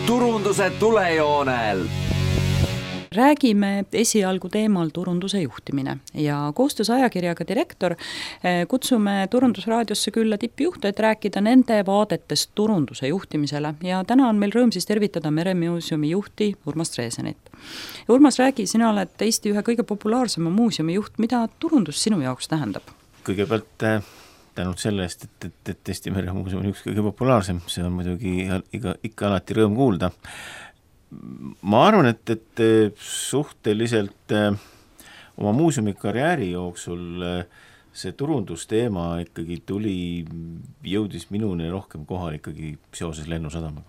turunduse tulejoonel. Räägime esialgu teemal turunduse juhtimine ja koostöös ajakirjaga Direktor kutsume Turundusraadiosse külla tippjuhte, et rääkida nende vaadetest turunduse juhtimisele ja täna on meil rõõm siis tervitada Meremuuseumi juhti Urmas Treesenit. Urmas, räägi, sina oled Eesti ühe kõige populaarsema muuseumi juht, mida turundus sinu jaoks tähendab? Kõigepealt tänud selle eest, et Eesti Meremuuseum on üks kõige populaarsem, see on muidugi ikka alati rõõm kuulda. Ma arvan, et suhteliselt oma muuseumi karjääri jooksul see turundusteema ikkagi jõudis minuni rohkem kohal ikkagi seoses Lennusadamaga.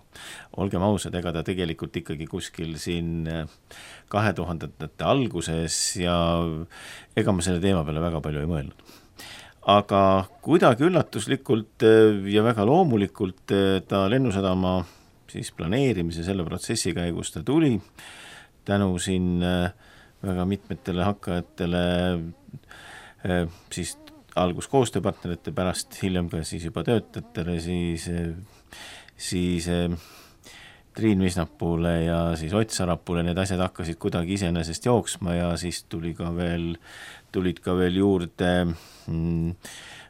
Olgem ausad, ega ta tegelikult ikkagi kuskil siin 2000-ndate alguses ja ega ma selle teema peale väga palju ei mõelnud. Aga kuidagi üllatuslikult ja väga loomulikult ta Lennusadama siis planeerimise selle protsessi käigus ta tuli tänu siin väga mitmetele hakkajatele siis algus koostööpartnerite pärast, hiljem ka siis juba töötajatele, siis Triin Visnapuule ja siis Ott Sarapuule, need asjad hakkasid kuidagi iseenesest jooksma ja siis tulid ka veel juurde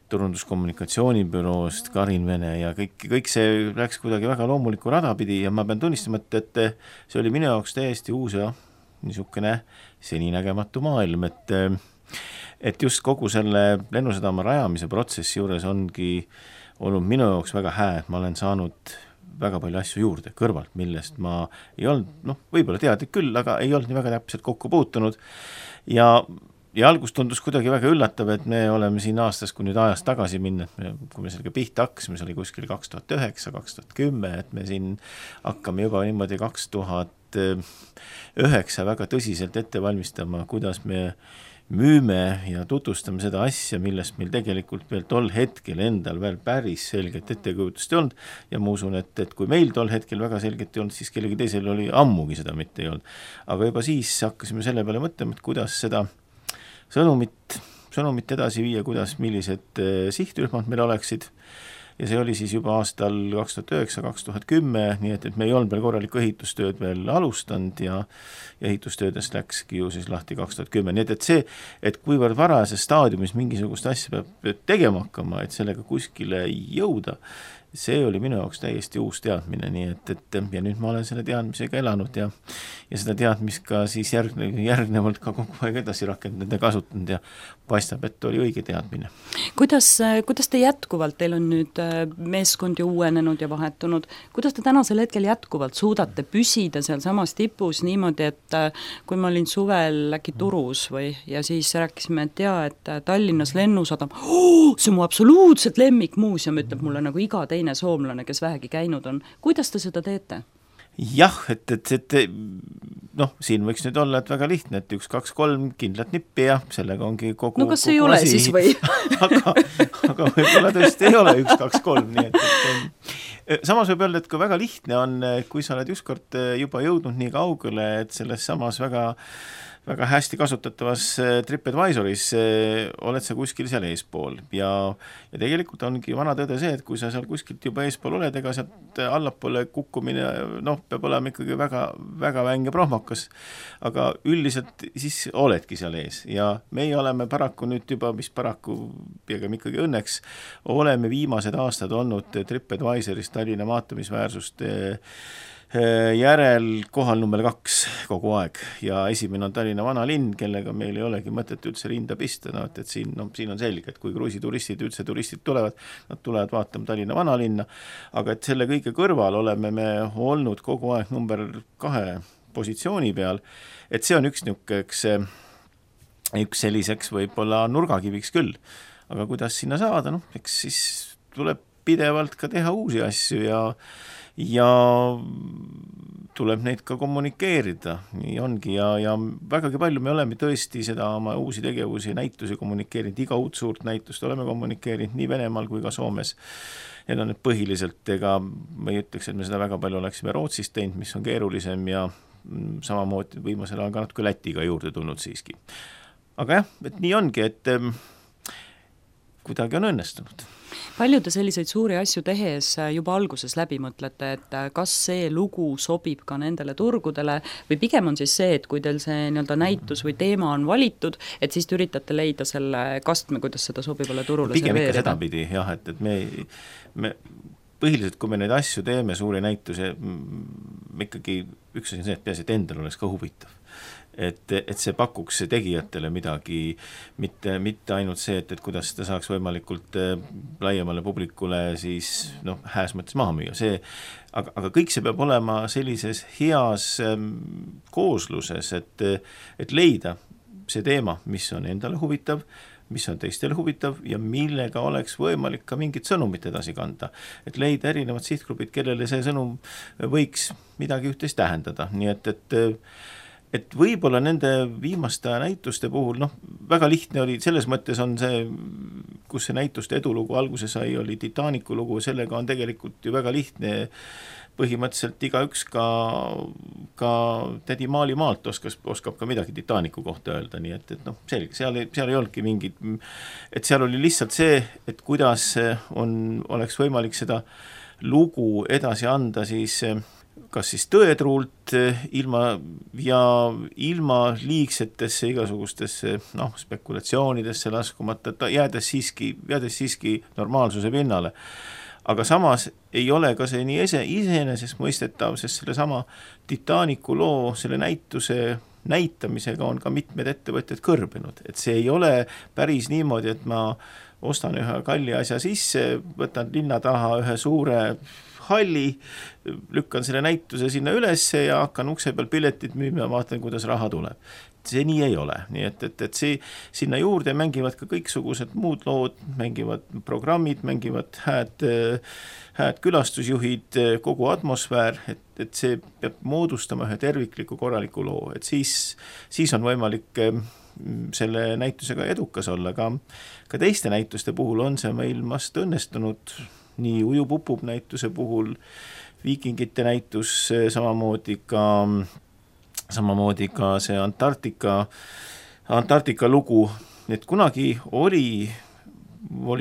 turunduskommunikatsioonibüroost Karin Vene ja kõik see läks kuidagi väga loomuliku rada pidi ja ma pean tunnistama, et see oli minu jaoks täiesti uus ja niisugune seninägematu maailm, et just kogu selle Lennusadama rajamise protsessi juures ongi olnud minu jaoks väga hää, et ma olen saanud väga palju asju juurde kõrvalt, millest ma ei olnud, võib-olla teadlik küll, aga ei olnud nii väga täpselt kokku puutunud ja algus tundus kuidagi väga üllatav, et me oleme siin aastas, kui nüüd ajast tagasi minna, kui me sellega pihta hakkasime, see oli kuskil 2009, 2010, et me siin hakkame juba niimoodi 2009 väga tõsiselt ette valmistama, kuidas me müüme ja tutvustame seda asja, millest meil tegelikult veel tol hetkel endal veel päris selget ettekujutust ei olnud ja ma usun, et kui meil tol hetkel väga selget ei olnud, siis kellegi teisel oli ammugi seda mitte ei olnud. Aga juba siis hakkasime selle peale mõtlema, et kuidas seda sõnumit edasi viia, millised sihtrühmad meil oleksid ja see oli siis juba aastal 2009-2010, nii et me ei olnud veel korralikku ehitustööd veel alustanud ja ehitustöödest läkski ju siis lahti 2010, nii et see, et kuivõrd varajases staadiumis mingisugust asja peab tegema hakkama, et sellega kuskile jõuda, see oli minu jaoks täiesti uus teadmine, nii et ja nüüd ma olen selle teadmisega elanud ja seda teadmist ka siis järgnevalt ka kogu aeg edasi rakendanud ja kasutanud ja paistab, et oli õige teadmine. Kuidas te jätkuvalt, teil on nüüd meeskond ju uuenenud ja vahetunud, kuidas te tänasel hetkel jätkuvalt suudate püsida seal samas tipus niimoodi, et kui ma olin suvel äkki Turus ja siis rääkisime, et Tallinnas Lennusadam, see on mu absoluutselt lemmikmuuseum, ütleb mulle nagu iga teine soomlane, kes vähegi käinud on. Kuidas te seda teete? Jah, et siin võiks nüüd olla, et väga lihtne, et 1, 2, 3 kindlat nippi ja sellega ongi kogu no kas ei ole asi. Siis või? aga võib-olla tõesti ei ole 1, 2, 3, nii et samas võib öelda, et kui väga lihtne on, kui sa oled ükskord juba jõudnud nii kaugele, et selles samas väga hästi kasutatavas TripAdvisoris oled sa kuskil seal eespool ja tegelikult ongi vana tõde see, et kui sa seal kuskilt juba eespool oled, ega sealt allapoole kukkumine peab olema ikkagi väga, väga vänge prohmakas, aga üldiselt siis oledki seal ees ja meie oleme paraku nüüd juba, mis paraku pigem ikkagi õnneks, oleme viimased aastad olnud TripAdvisoris Tallinna maatumisväärsust järel kohal number 2 kogu aeg ja esimene on Tallinna vanalinn, kellega meil ei olegi mõtet üldse rinda pista, et siin on selge, et kui kruiisituristid üldse turistid tulevad, nad tulevad vaatama Tallinna vanalinna, aga et selle kõige kõrval oleme me olnud kogu aeg number 2 positsiooni peal, et see on üks selliseks võib-olla nurgakiviks küll, aga kuidas sinna saada, eks siis tuleb pidevalt ka teha uusi asju ja tuleb neid ka kommunikeerida, nii ongi ja vägagi palju me oleme tõesti seda oma uusi tegevusi, näitusi kommunikeerinud, iga uut suurt näitust oleme kommunikeerinud nii Venemaal kui ka Soomes. Need on need põhiliselt, ega ma ei ütleks, et me seda väga palju oleksime Rootsist teinud, mis on keerulisem ja samamoodi viimasel ajal ka natuke Lätiga juurde tulnud siiski. Aga jah, et nii ongi, et kuidagi on õnnestunud. palju te selliseid suuri asju tehes juba alguses läbi mõtlete, et kas see lugu sobib ka nendele turgudele või pigem on siis see, et kui teil see nii-öelda näitus või teema on valitud, et siis te üritate leida selle kastme, kuidas seda sobivale turule pigem serveerida? Ikka sedapidi, jah, et me põhiliselt, kui me neid asju teeme, suuri näituse, ikkagi üks asi on see, et peaasi, et endal oleks ka huvitav. Et see pakuks tegijatele midagi, mitte ainult see, et kuidas seda saaks võimalikult laiemale publikule siis hääs mõttes maha müüa. Aga kõik see peab olema sellises heas koosluses, et leida see teema, mis on endale huvitav, mis on teistele huvitav ja millega oleks võimalik ka mingit sõnumit edasi kanda. Et leida erinevad sihtgrupid, kellele see sõnum võiks midagi üht-teist tähendada. Nii et võib-olla nende viimaste näituste puhul, väga lihtne oli, selles mõttes on see, kus see näituste edulugu alguse sai, oli Titanicu lugu, sellega on tegelikult ju väga lihtne, põhimõtteliselt igaüks ka tädi Maali maalt oskab ka midagi Titanicu kohta öelda, nii et selge, seal ei olnudki mingit, et seal oli lihtsalt see, et kuidas oleks võimalik seda lugu edasi anda siis kas siis tõetruult ilma liigsetesse igasugustesse spekulatsioonidesse laskumata, jäädes siiski normaalsuse pinnale. Aga samas ei ole ka see nii iseenesest mõistetav, sest selle sama Titanicu loo, selle näituse näitamisega on ka mitmed ettevõtjad kõrbinud. Et see ei ole päris niimoodi, et ma ostan ühe kalli asja sisse, võtan linna taha ühe suure halli, lükkan selle näituse sinna ülesse ja hakkan ukse peal piletit müüma ja vaatan, kuidas raha tuleb. See nii ei ole. Nii et sinna juurde mängivad ka kõiksugused muud lood, mängivad programmid, mängivad hääd külastusjuhid, kogu atmosfäär, et see peab moodustama ühe tervikliku korraliku loo. Et siis on võimalik selle näitusega edukas olla. Ka teiste näituste puhul on see meil vast õnnestunud, nii Ujupupub näituse puhul, Viikingite näitus, samamoodi ka see Antarktika lugu, et kunagi oli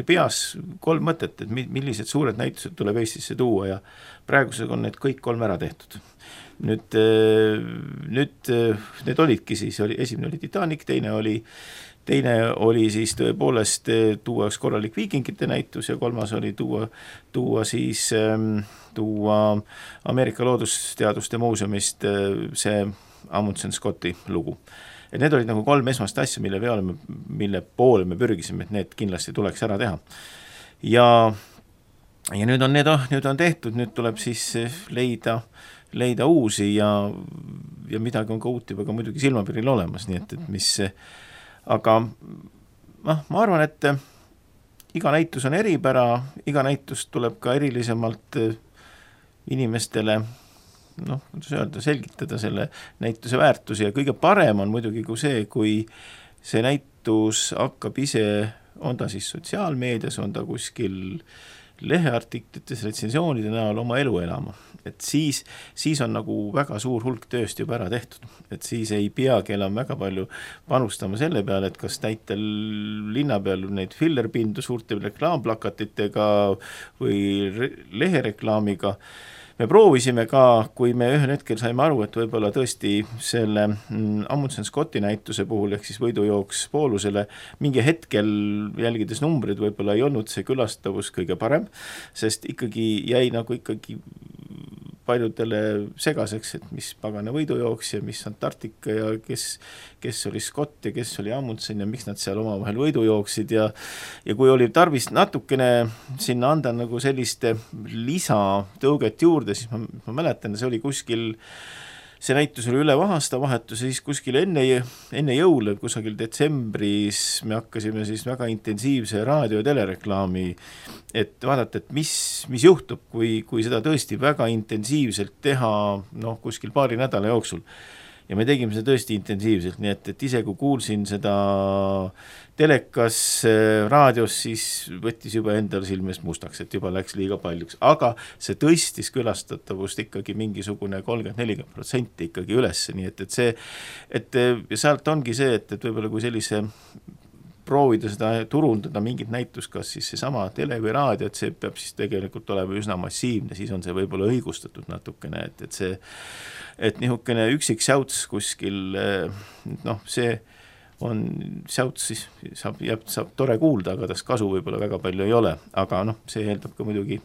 peas 3 mõtet, et millised suured näitused tuleb Eestisse tuua ja praegusega on need kõik 3 ära tehtud. Nüüd need olidki siis, esimene oli Titanic, teine oli siis tõepoolest tuua üks korralik Viikingite näitus ja 3. oli tuua Ameerika Loodusteaduste muuseumist see Amundsen Scotti lugu. Et need olid nagu 3 esmast asja, mille poole me pürgisime, et need kindlasti tuleks ära teha. Ja nüüd on tehtud, nüüd tuleb siis leida uusi ja midagi on ka uut juba ka muidugi silmapiiril olemas, nii et mis aga ma arvan, et iga näitus on eripära, iga näitus tuleb ka erilisemalt inimestele kuidas öelda, selgitada selle näituse väärtusi ja kõige parem on muidugi kui see näitus hakkab ise, on ta siis sotsiaalmeedias, on ta kuskil leheartiklites, retsensioonide näol oma elu elama. Et siis on nagu väga suur hulk tööst juba ära tehtud. Et siis ei peagi enam väga palju panustama selle peale, et kas täitel linna peal neid fillerpindu suurte reklaamplakatitega või lehereklaamiga. Me proovisime ka, kui me ühel hetkel saime aru, et võib-olla tõesti selle Amundsen Scotti näituse puhul, ehk siis võidujooks poolusele, mingi hetkel jälgides numbrid võib-olla ei olnud see külastavus kõige parem, sest jäi paljudele segaseks, et mis pagana võidujooks ja mis Antarktika ja kes oli Scott ja kes oli Amundsen ja miks nad seal omavahel võidu jooksid ja kui oli tarvis natukene sinna anda nagu selliste lisatõuget juurde, siis ma mäletan, see oli kuskil, see näitus oli üle aastavahetuse, siis kuskil enne jõule, kusagil detsembris me hakkasime siis väga intensiivse raadio- ja telereklaami, et vaadata, et mis juhtub, kui seda tõesti väga intensiivselt teha kuskil paari nädala jooksul. Ja me tegime seda tõesti intensiivselt, nii et ise kui kuulsin seda telekas, raadios, siis võttis juba endal silmest mustaks, et juba läks liiga paljuks. Aga see tõstis külastatavust ikkagi mingisugune 30-40% ikkagi üles, nii et sealt ongi see, et võib-olla kui sellise proovida seda turundada mingit näitust, kas siis seesama tele või raadio, et see peab siis tegelikult olema üsna massiivne, siis on see võib-olla õigustatud natukene, et nihukene üksik säuts kuskil, noh, see on säuts, siis saab tore kuulda, aga tast kasu võib-olla väga palju ei ole, aga noh, see eeldab ka muidugi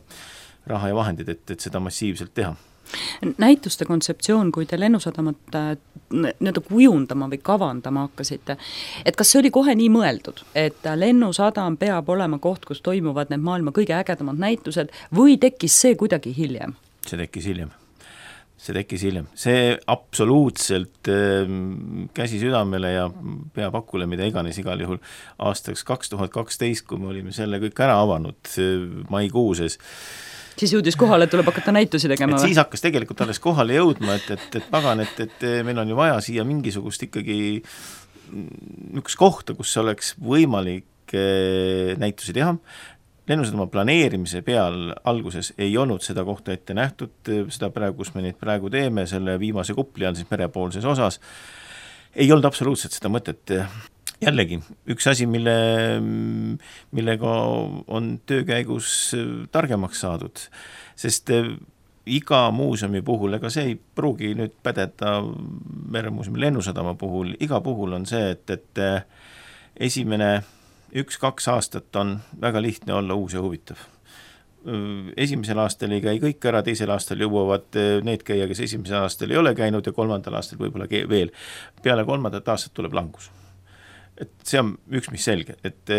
raha ja vahendid, et seda massiivselt teha. Näituste kontseptsioon, kui te Lennusadamat nii-öelda kujundama või kavandama hakkasite, et kas see oli kohe nii mõeldud, et Lennusadam peab olema koht, kus toimuvad need maailma kõige ägedamad näitused või tekkis see kuidagi hiljem? See tekkis hiljem. See absoluutselt käsi südamele ja peapakule, mida iganes igal juhul aastaks 2012, kui me olime selle kõik ära avanud maikuuses. Siis jõudis kohale, et tuleb hakata näitusi tegema? Siis hakkas tegelikult alles kohale jõudma, et pagan, et meil on ju vaja siia mingisugust ikkagi üks kohta, kus oleks võimalik näitusi teha. Lennusadama planeerimise peal alguses ei olnud seda kohta ette nähtud, seda praegu, kus me neid praegu teeme, selle viimase kupli all siis merepoolses osas, ei olnud absoluutselt seda mõtet. Jällegi, üks asi, millega on töö käigus targemaks saadud, sest iga muuseumi puhul, ega see ei pruugi nüüd pädeda Meremuuseumi Lennusadama puhul, iga puhul on see, et esimene 1-2 aastat on väga lihtne olla uus ja huvitav. Esimesel aastal ei käi kõik ära, teisel aastal jõuavad need käia, kes esimesel aastal ei ole käinud ja kolmandal aastal võib-olla veel. Peale 3. aastat tuleb langus. Et see on üks, mis selge, et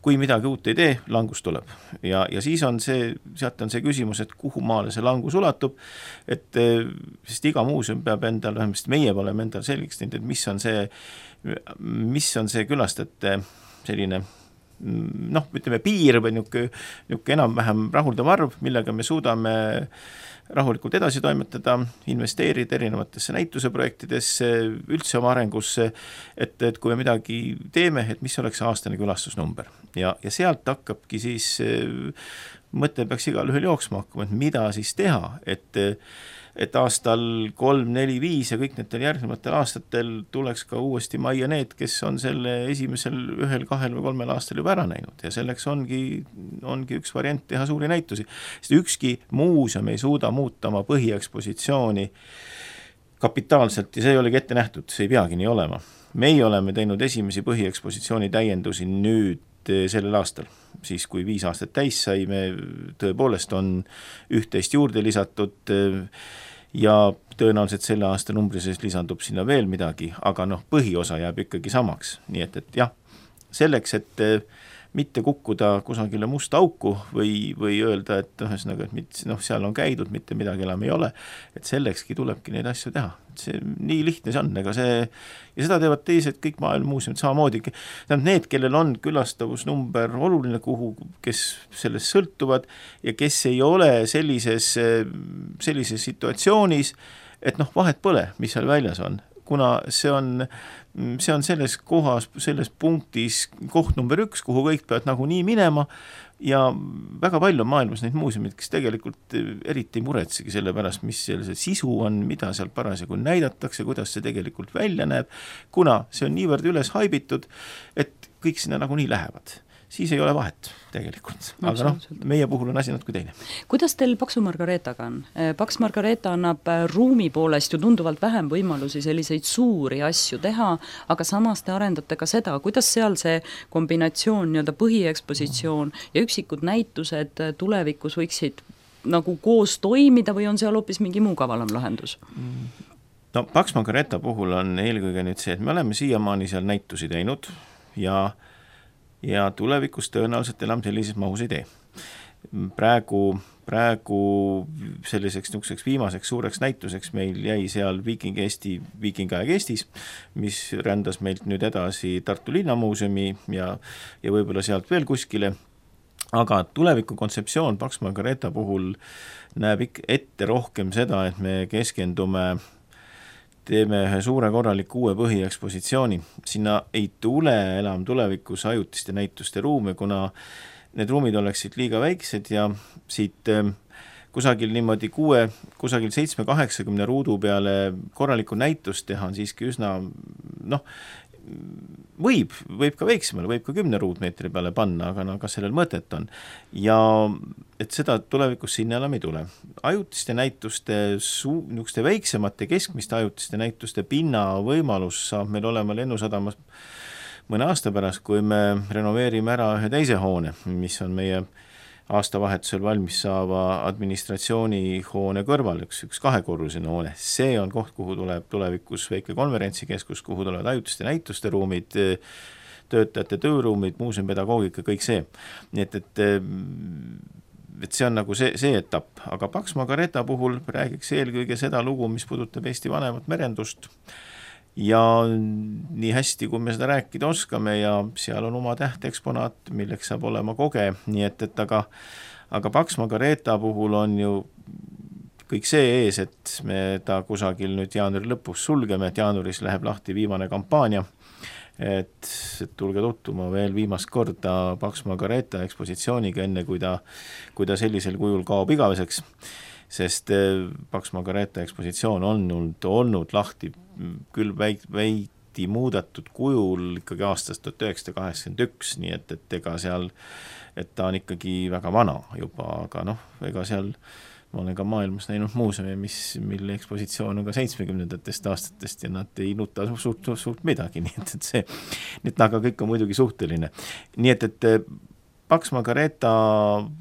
kui midagi uut ei tee, langus tuleb. Ja siis on sealt on see küsimus, et kuhu maale see langus ulatub, sest iga muuseum peab endal, vähemasti meie oleme endal selgeks teinud, et mis on see külastajate selline, noh, ütleme piir või niuke enam-vähem rahuldav arv, millega me suudame rahulikult edasi toimetada, investeerida erinevatesse näituseprojektidesse, üldse oma arengusse, et kui me midagi teeme, et mis oleks aastane külastusnumber. Ja sealt hakkabki siis, mõte peaks igal ühel jooksma hakkama, et mida siis teha, et aastal 3, 4, 5 ja kõik need järgnevatel aastatel tuleks ka uuesti majja need, kes on selle esimesel 1, 2 või 3 aastal juba ära näinud ja selleks ongi üks variant teha suuri näitusi. Sest ükski muuseum ei suuda muuta oma põhiekspositsiooni kapitaalselt ja see ei olegi ette nähtud, see ei peagi nii olema. Meie oleme teinud esimesi põhiekspositsiooni täiendusi nüüd sellel aastal, siis kui 5 aastat täis sai, me tõepoolest on 11 juurde lisatud ja tõenäoliselt selle aasta numbri sees lisandub sinna veel midagi, aga põhiosa jääb ikkagi samaks. Nii et jah, selleks, et mitte kukkuda kusagile musta auku või öelda, et ühesõnaga, et seal on käidud, mitte midagi enam ei ole, et sellekski tulebki neid asju teha. See nii lihtne see on, ja seda teevad teised kõik maailmamuuseumid samamoodi. Need, kellel on külastavusnumber oluline, kes sellest sõltuvad ja kes ei ole sellises situatsioonis, et vahet pole, mis seal väljas on, kuna see on selles kohas, selles punktis koht number 1, kuhu kõik peavad nagunii minema ja väga palju on maailmas neid muuseumid, kes tegelikult eriti ei muretsegi selle pärast, mis see sisu on, mida seal parasjagu näidatakse, kuidas see tegelikult välja näeb, kuna see on niivõrd üles haibitud, et kõik sinna nagunii lähevad. Siis ei ole vahet tegelikult, aga meie puhul on asi natuke teine. Kuidas teil Paksu Margareetaga on? Paks Margareeta annab ruumi poolest ju tunduvalt vähem võimalusi selliseid suuri asju teha, aga samas te arendate ka seda, kuidas seal see kombinatsioon, nii-öelda põhiekspositsioon ja üksikud näitused tulevikus võiksid nagu koos toimida või on seal hoopis mingi muu kavalam lahendus? Paks Margareeta puhul on eelkõige nüüd see, et me oleme siiamaani seal näitusi teinud ja tulevikus tõenäoliselt enam sellises mahus ei tee. Praegu selliseks niisuguseks viimaseks suureks näituseks meil jäi seal Viikingaeg Eestis, mis rändas meilt nüüd edasi Tartu Linnamuuseumi ja võib-olla sealt veel kuskile, aga tuleviku kontseptsioon Paks Margareeta puhul näeb ette rohkem seda, et me teeme ühe suure korraliku uue põhiekspositsiooni. Sinna ei tule enam tulevikus ajutiste näituste ruume, kuna need ruumid oleksid liiga väiksed ja siit kusagil niimoodi 7-80 ruudu peale korralikku näitust teha on siiski üsna, võib ka väiksemale, võib ka 10 ruutmeetri peale panna, aga no kas sellel mõtet on. Ja et seda tulevikus sinna enam ei tule. Ajutiste näituste, niisuguste väiksemate keskmiste ajutiste näituste pinna võimalus saab meil olema Lennusadamas mõne aasta pärast, kui me renoveerime ära ühe teise hoone, mis on meie aastavahetusel valmis saava administratsioonihoone kõrval, üks 2-korruseline hoone. See on koht, kuhu tuleb tulevikus väike konverentsikeskus, kuhu tulevad ajutiste näituste ruumid, töötajate tööruumid, muuseumipedagoogika, kõik see. Nii et see on nagu see etapp, aga Pax Margareeta puhul räägiks eelkõige seda lugu, mis puudutab Eesti vanemat merendust. Ja nii hästi, kui me seda rääkida oskame ja seal on oma tähteksponaat, milleks saab olema koge, nii et aga Pax Margareeta puhul on ju kõik see ees, et me ta kusagil nüüd jaanuari lõpus sulgeme, et jaanuaris läheb lahti viimane kampaania, et tulge tuttuma veel viimast korda Pax Margareeta ekspositsiooniga, enne kui ta sellisel kujul kaob igaveseks, sest Pax Margareeta ekspositsioon on olnud lahti küll veidi muudetud kujul ikkagi aastast 1981, nii et ega seal, et ta on ikkagi väga vana juba, aga ega seal ma olen ka maailmas näinud muuseumi, mille ekspositsioon on ka 70ndatest aastatest ja nad ei nuta suurt midagi, nii et see, aga kõik on muidugi suhteline. Nii et Pax Margareeta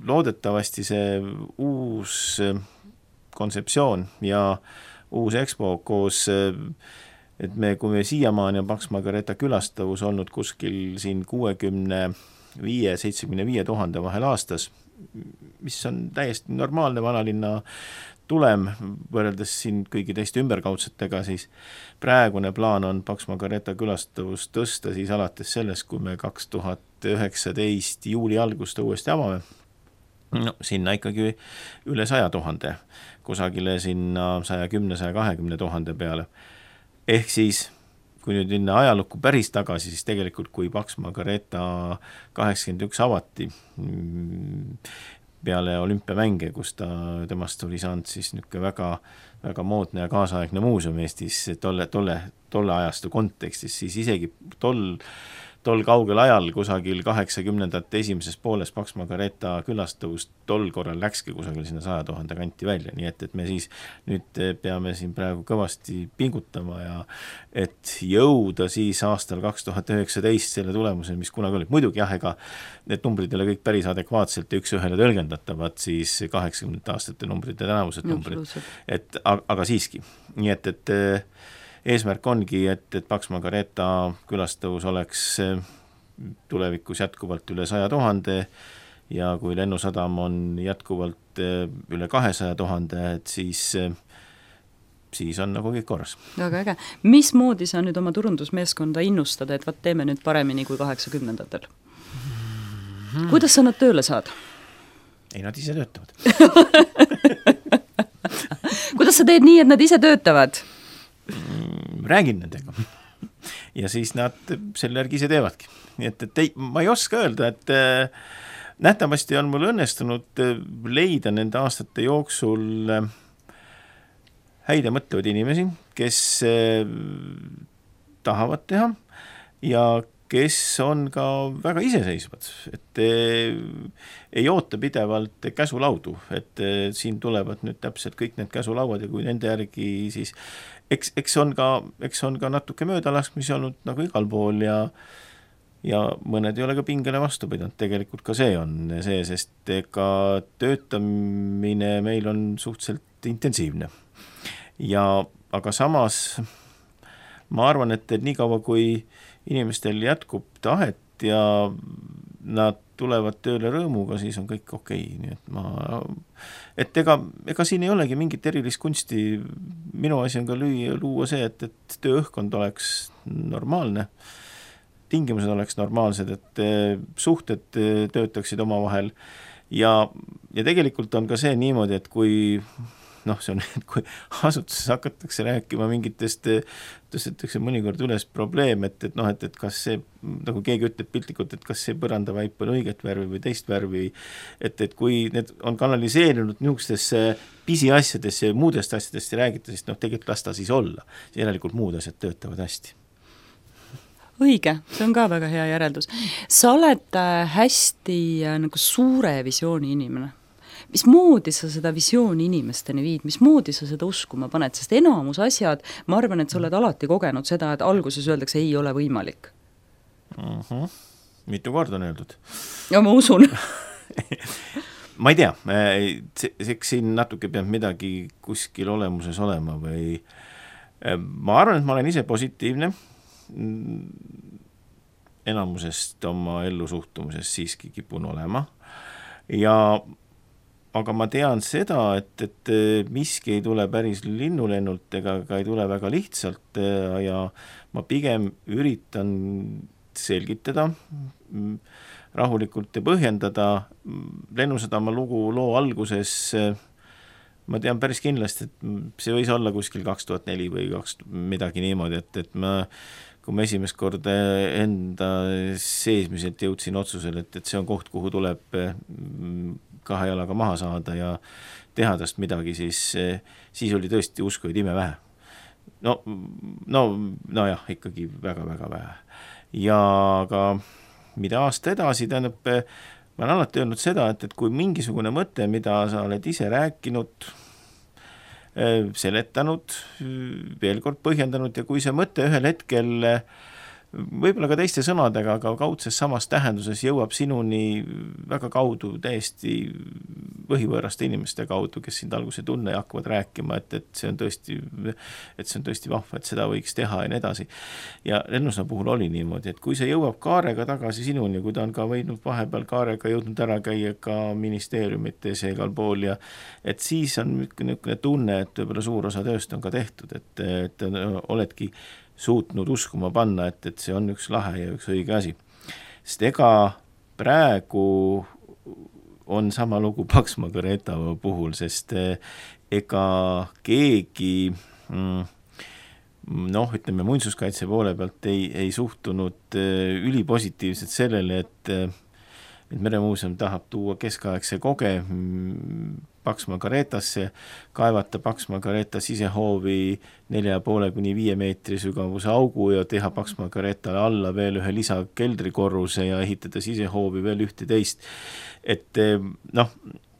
loodetavasti see uus kontseptsioon ja uus expo koos, et kui me siiamaani on Pax Margareeta külastavus olnud kuskil siin 65-75 000 vahel aastas, mis on täiesti normaalne vanalinna tulem võrreldes siin kõigi teiste ümberkaudsetega, siis praegune plaan on Pax Margareeta külastavus tõsta siis alates sellest, kui me 2019 juuli algust uuesti avame. Sinna ikkagi üle 100 000, kusagile sinna 110-120 000 peale. Ehk siis, kui nüüd minna ajalukku päris tagasi, siis tegelikult kui Pax Margareeta 81 avati peale olümpiamänge, kus temast oli saanud siis väga, väga moodne ja kaasaegne muuseum Eestis tolle ajastu kontekstis, siis isegi tol kaugel ajal kusagil 80ndate esimeses pooles Pax Margareeta külastavust tol korral läkski kusagil sinna 100 000 kanti välja, nii et me siis nüüd peame siin praegu kõvasti pingutama ja et jõuda siis aastal 2019 selle tulemuseni, mis kunagi oli. Muidugi ega need numbrid ei ole kõik päris adekvaatselt ja üks ühele tõlgendatavad siis 80 aastate numbrid ja tänavused numbrid, aga siiski. Nii et eesmärk ongi, et Pax Margareeta külastavus oleks tulevikus jätkuvalt üle 100 000 ja kui Lennusadam on jätkuvalt üle 200 000, et siis on nagu kõik korras. Väga äge. Mismoodi sa nüüd oma turundusmeeskonda innustada, et teeme nüüd paremini kui 80ndatel? Kuidas sa nad tööle saad? Ei, nad ise töötavad. Kuidas sa teed nii, et nad ise töötavad? Räägin nendega ja siis nad selle järgi ise teevadki. Nii et ma ei oska öelda, et nähtavasti on mul õnnestunud leida nende aastate jooksul häid ja mõtlevad inimesi, kes tahavad teha ja kes on ka väga iseseisvad, et ei oota pidevalt käsulaudu, et siin tulevad nüüd täpselt kõik need käsulauad ja kui nende järgi siis eks on ka natuke möödalaskmisi olnud nagu igal pool ja mõned ei ole ka pingele vastu pidanud, tegelikult ka see on see, sest ega töötamine meil on suhteliselt intensiivne. Aga samas ma arvan, et nii kaua kui inimestel jätkub tahet ja nad tulevad tööle rõõmuga, siis on kõik okei. Nii et ega siin ei olegi mingit erilist kunsti. Minu asi on ka luua see, et tööõhkkond oleks normaalne, tingimused oleks normaalsed, et suhted töötaksid omavahel ja tegelikult on ka see niimoodi, et kui see on, kui asutuses hakatakse rääkima mingitest, tõstetakse mõnikord üles probleem, et kas see, nagu keegi ütleb piltlikult, et kas see põrandavaip on õiget värvi või teist värvi, et kui need on kanaliseerinud niisugustesse pisiasjadesse ja muudest asjadest ei räägita, siis tegelikult las ta siis olla. Järelikult muud asjad töötavad hästi. õige, see on ka väga hea järeldus. Sa oled hästi nagu suure visiooni inimene. Mismoodi sa seda visiooni inimesteni viid, mismoodi sa seda uskuma paned, sest enamus asjad, ma arvan, et sa oled alati kogenud seda, et alguses öeldakse, ei ole võimalik. Mitu korda on öeldud? Ja ma usun. Ma ei tea, eks siin natuke peab midagi kuskil olemuses olema või ma arvan, et ma olen ise positiivne, enamusest oma ellusuhtumisest siiski kipun olema aga ma tean seda, et miski ei tule päris linnulennult ega ka ei tule väga lihtsalt ja ma pigem üritan selgitada rahulikult ja põhjendada Lennusadama loo alguses ma tean päris kindlasti, et see võis olla kuskil 2004 või midagi niimoodi, et kui ma esimest korda enda seesmiselt jõudsin otsusele, et see on koht, kuhu tuleb 2 jalaga maha saada ja teha tast midagi, siis oli tõesti uskuid ime vähe. No jah, ikkagi väga-väga vähe. Ja ka mida aasta edasi, tähendab, ma olen alati öelnud seda, et kui mingisugune mõte, mida sa oled ise rääkinud, seletanud, veel kord põhjendanud ja kui see mõte ühel hetkel võib-olla ka teiste sõnadega, aga kaudses samas tähenduses jõuab sinuni väga kaudu täiesti põhivõõraste inimeste kaudu, kes sind alguse tunne ja hakkavad rääkima, et see on tõesti vahva, et seda võiks teha ja nii edasi. Ja Lennusna puhul oli niimoodi, et kui see jõuab kaarega tagasi sinuni, kui ta on ka võinud vahepeal kaarega jõudnud ära käia ka ministeeriumites ja igal pool ja et siis on niisugune tunne, et võib-olla suur osa tööst on ka tehtud, et oledki suutnud uskuma panna, et see on üks lahe ja üks õige asi. Sest ega praegu on sama lugu Paksma Careta puhul, sest ega keegi ütleme muinsuskaitse poole pealt ei suhtunud ülipositiivselt sellele, et Meremuuseum tahab tuua keskaegse koge Paksma Caretasse, kaevata Paksma Careta sisehoovi 4,5–5 meetri sügavuse augu ja teha Paksma Caretale alla veel ühe lisa keldrikorruse ja ehitada sisehoovi veel 11. Et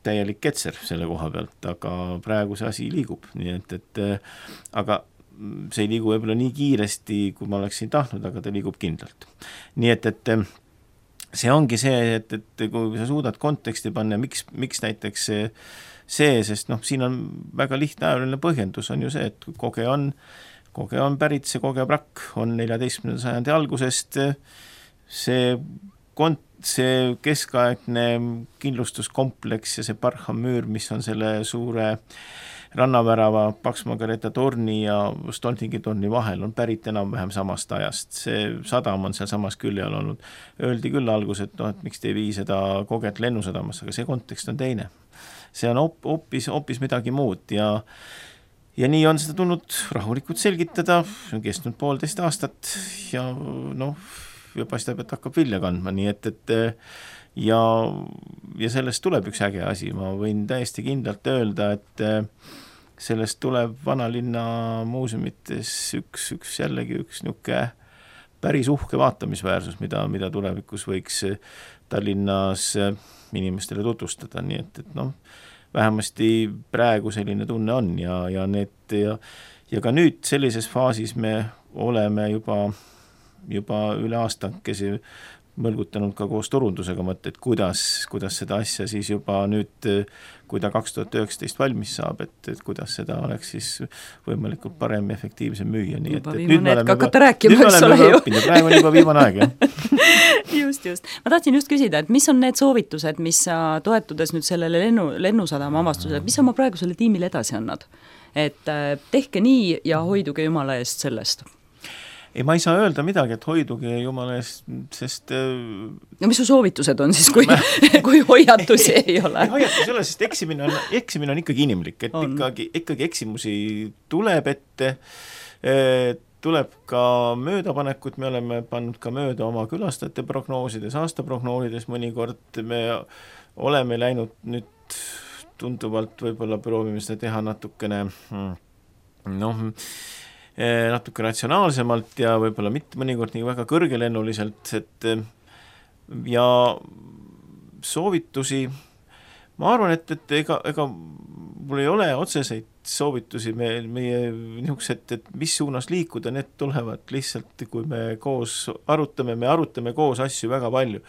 täielik ketser selle koha pealt, aga praegu see asi liigub. Nii et aga see ei liigu võib-olla nii kiiresti, kui ma oleksin tahtnud, aga ta liigub kindlalt. Nii et see ongi see, et kui sa suudad konteksti panna, miks näiteks see, sest siin on väga lihtne ajaline põhjendus, on ju see, et koge on pärit, see kogeprakk on 14. sajandi algusest, see keskaegne kindlustuskompleks ja see parhamüür, mis on selle suure rannavärava Paksma Careta torni ja Stoltingi torni vahel on pärit enam-vähem samast ajast. See sadam on seal samas külje all olnud. Öeldi küll algus, et miks te ei vii seda koget Lennusadamas, aga see kontekst on teine. See on hoopis midagi muud ja nii on seda tulnud rahulikult selgitada, on kestnud 1,5 aastat ja paistab, et hakkab vilja kandma, nii et ja sellest tuleb üks äge asi, ma võin täiesti kindlalt öelda, et sellest tuleb vanalinna muuseumites jällegi üks niuke päris uhke vaatamisväärsus, mida tulevikus võiks Tallinnas inimestele tutvustada, nii et vähemasti praegu selline tunne on ja ka nüüd sellises faasis me oleme juba üle aastakesi mõlgutanud ka koos turundusega mõtte, et kuidas seda asja siis juba nüüd, kui ta 2019 valmis saab, et kuidas seda oleks siis võimalikult parem ja efektiivsem müüa. Nii juba viimane hetk hakata rääkima, eks ole ju. Praegu on juba viimane aeg, jah. Just. Ma tahtsin just küsida, et mis on need soovitused, mis sa toetudes nüüd sellele Lennusadama avastusele, mis sa oma praegusele tiimile edasi annad? Et tehke nii ja hoiduge Jumala eest sellest. Ei, ma ei saa öelda midagi, et hoiduge Jumala eest, sest no mis su soovitused on siis, kui hoiatusi ei ole? Hoiatus ei ole, sest eksimine on ikkagi inimlik, et ikkagi eksimusi tuleb ette, tuleb ka möödapanekut, me oleme pannud ka mööda oma külastajate prognoosides, aastaprognoosides mõnikord, me oleme läinud nüüd tunduvalt, võib-olla proovime seda teha natukene natuke ratsionaalsemalt ja võib-olla mitte mõnikord nii väga kõrgelennuliselt, et ja soovitusi, ma arvan, et ega mul ei ole otseseid soovitusi meie niisugused, et mis suunas liikuda, need tulevad lihtsalt, kui me koos arutame, me arutame koos asju väga palju.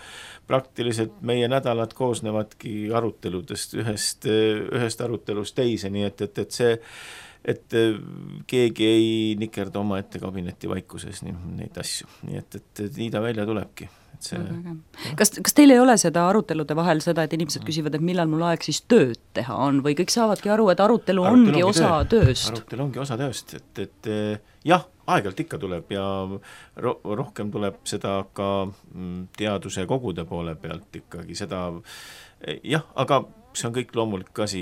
Praktiliselt meie nädalad koosnevadki aruteludest, ühest arutelust teise, nii et see, et keegi ei nikerda oma ette kabineti vaikuses neid asju, nii et nii ta välja tulebki. See... Kas teil ei ole seda arutelude vahel seda, et inimesed küsivad, et millal mul aeg siis tööd teha on või kõik saavadki aru, et arutelu ongi osa tööst? Arutelu ongi osa tööst, et jah, aeg-ajalt ikka tuleb ja rohkem tuleb seda ka teaduse kogude poole pealt ikkagi seda, jah, aga see on kõik loomulik asi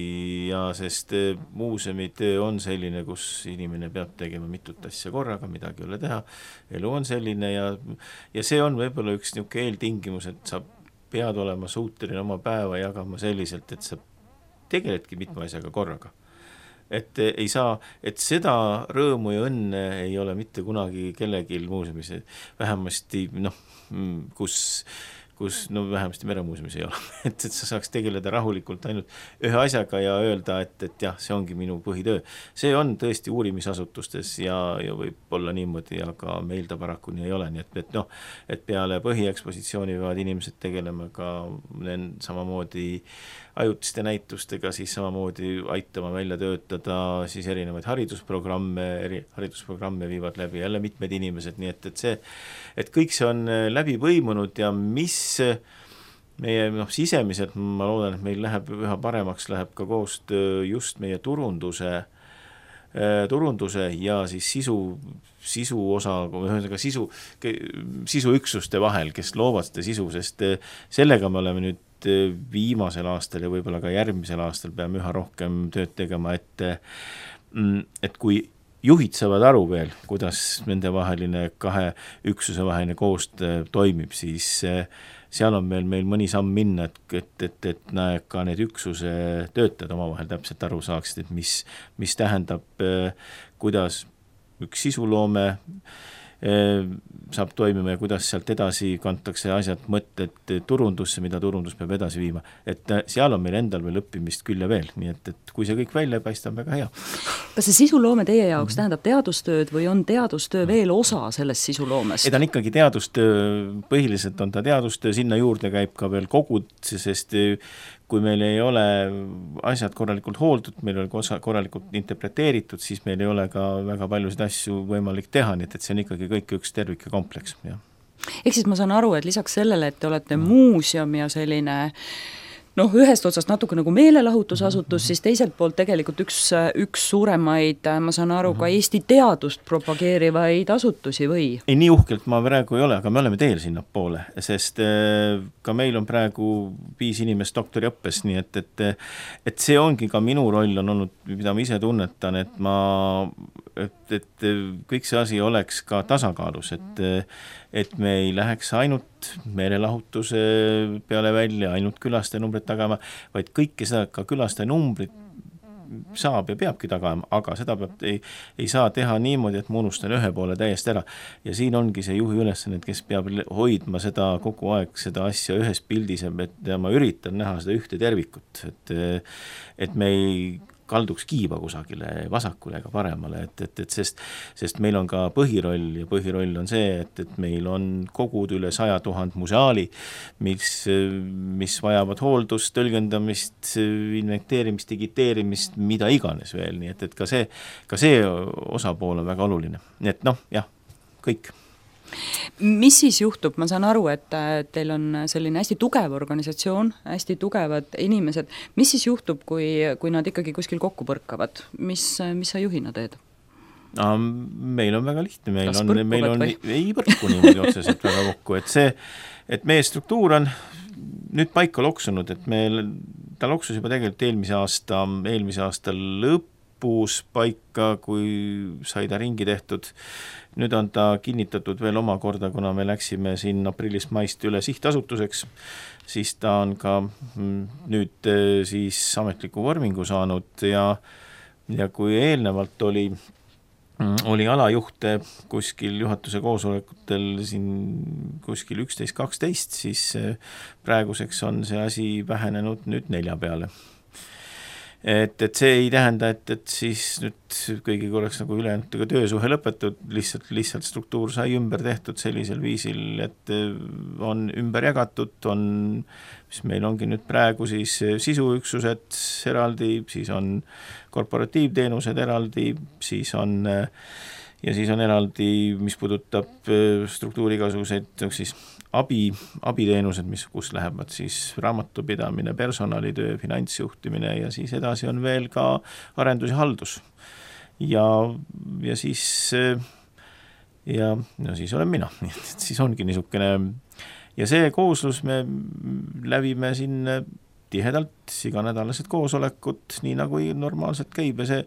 ja sest muuseumi töö on selline, kus inimene peab tegema mitut asja korraga, midagi ei ole teha, elu on selline ja see on võib-olla üks niisugune eeltingimus, et sa pead olema suuteline oma päeva jagama selliselt, et sa tegeledki mitme asjaga korraga. Et ei saa, et seda rõõmu ja õnne ei ole mitte kunagi kellelgi muuseumis, vähemasti kus vähemasti meremuuseumis ei ole, et sa saaks tegeleda rahulikult ainult ühe asjaga ja öelda, et jah, see ongi minu põhitöö. See on tõesti uurimisasutustes ja võib olla niimoodi, aga meil ta paraku nii ei ole, nii et peale põhiekspositsiooni võivad inimesed tegelema ka samamoodi ajutiste näitustega, siis samamoodi aitama välja töötada siis erinevaid haridusprogramme viivad läbi jälle mitmed inimesed, nii et see, et kõik see on läbi põimunud ja mis meie sisemiselt, ma loodan, et meil läheb üha paremaks, läheb ka koostöö just meie turunduse ja siis sisu osa, sisuüksuste vahel, kes loovad seda sisu, sest sellega me oleme nüüd viimasel aastal ja võib-olla ka järgmisel aastal peame üha rohkem tööd tegema, et kui juhid saavad aru veel, kuidas nende vaheline kahe üksuse vaheline koostöö toimib, siis seal on meil mõni samm minna, et ka need üksuse töötajad omavahel täpselt aru saaksid, et mis tähendab, kuidas üks sisuloome saab toimima ja kuidas sealt edasi kantakse asjad, mõtted turundusse, mida turundus peab edasi viima. Et seal on meil endal veel õppimist küll ja veel, nii et kui see kõik välja paistab, väga hea. Kas see sisuloome teie jaoks tähendab teadustööd või on teadustöö veel osa sellest sisuloomest? Ta on ikkagi teadustöö, põhiliselt on ta teadustöö, sinna juurde käib ka veel kogud, sest kui meil ei ole asjad korralikult hooldud, meil ei ole korralikult interpreteeritud, siis meil ei ole ka väga paljusid asju võimalik teha, nii et see on ikkagi kõik üks tervik ja kompleks. Ja. Ehk siis ma saan aru, et lisaks sellele, et te olete muuseum ja selline ühest otsast natuke nagu meelelahutusasutus, siis teiselt poolt tegelikult üks suuremaid, ma saan aru, ka Eesti teadust propageerivaid asutusi või? Ei, nii uhkelt ma praegu ei ole, aga me oleme teel sinna poole, sest ka meil on praegu 5 inimest doktoriõppes, nii et see ongi ka minu roll on olnud, mida ma ise tunnetan, et kõik see asi oleks ka tasakaalus, et me ei läheks ainult meelelahutuse peale välja, ainult külastajanumbrid tagama, vaid kõike seda ka külastajanumbrid saab ja peabki tagama, aga seda ei saa teha niimoodi, et ma unustan ühe poole täiesti ära. Ja siin ongi see juhi ülesanne, kes peab hoidma seda kogu aeg, seda asja ühes pildis, et ma üritan näha seda ühte tervikut, et me ei kalduks kiiba kusagile vasakule ega paremale, sest meil on ka põhiroll ja põhiroll on see, et meil on kogud üle 100 000 museaali, mis vajavad hooldust, tõlgendamist, inventeerimist, digiteerimist, mida iganes veel, nii et ka see osapool on väga oluline. Nii et jah, kõik. Mis siis juhtub, ma saan aru, et teil on selline hästi tugev organisatsioon, hästi tugevad inimesed, mis siis juhtub, kui nad ikkagi kuskil kokku põrkavad, mis sa juhina teed? Meil on väga lihtne, meil on ei põrku niimoodi otseselt väga kokku, et meie struktuur on nüüd paika loksunud, et ta loksus juba tegelikult eelmise aasta lõpus paika, kui sai ta ringi tehtud. Nüüd on ta kinnitatud veel omakorda, kuna me läksime siin aprillist maist üle sihtasutuseks, siis ta on ka nüüd siis ametliku vormingu saanud ja kui eelnevalt oli oli alajuhte kuskil juhatuse koosolekutel siin kuskil 11-12, siis praeguseks on see asi vähenenud nüüd 4 peale. Et see ei tähenda, et siis nüüd kõigiga oleks nagu ülejäänud töösuhe lõpetud, lihtsalt struktuur sai ümber tehtud sellisel viisil, et on ümber jagatud, mis meil ongi nüüd praegu siis sisuüksused eraldi, siis on korporatiivteenused eraldi, siis on eraldi, mis puudutab struktuuri igasuguseid siis abiteenused, kus lähevad siis raamatupidamine, personalitöö, finantsjuhtimine ja siis edasi on veel ka arendus ja haldus. Ja siis olen mina, siis ongi niisugune ja see kooslus me lävime siin tihedalt iganädalased koosolekud, nii nagu normaalselt käib ja see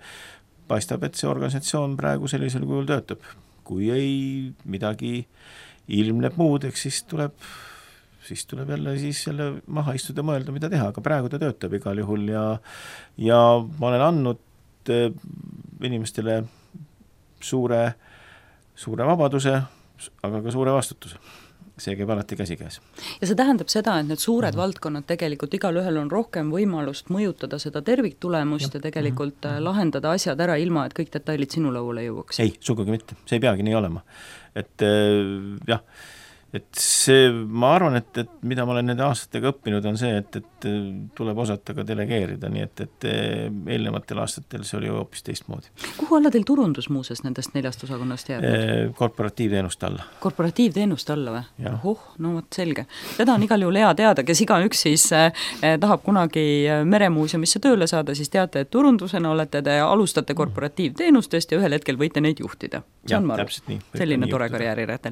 paistab, et see organisatsioon praegu sellisel kujul töötab. Kui ei midagi ilmneb muud, eks siis tuleb jälle maha istuda, mõelda, mida teha, aga praegu ta töötab igal juhul ja ma olen andnud inimestele suure vabaduse, aga ka suure vastutuse. See käib alati käsikäes. Ja see tähendab seda, et need suured valdkonnad tegelikult igalühel on rohkem võimalust mõjutada seda terviktulemust ja tegelikult lahendada asjad ära ilma, et kõik detailid sinu lauale jõuaks. Ei, sugugi mitte. See ei peagi nii olema. Et jah, et see, ma arvan, et mida ma olen nende aastatega õppinud, on see, et tuleb osata ka delegeerida, nii et eelnevatel aastatel see oli hoopis teistmoodi. Kuhu alla teil turundus muuses nendest 4 osakonnast jääb? Korporatiivteenust alla. Korporatiivteenust alla või? No võt selge. Seda on igal juhul hea teada, kes igaüks siis tahab kunagi Meremuuseumisse tööle saada, siis teate, et turundusena te alustate korporatiivteenustest ja ühel hetkel võite neid juhtida. See on selline tore karjäärirätel.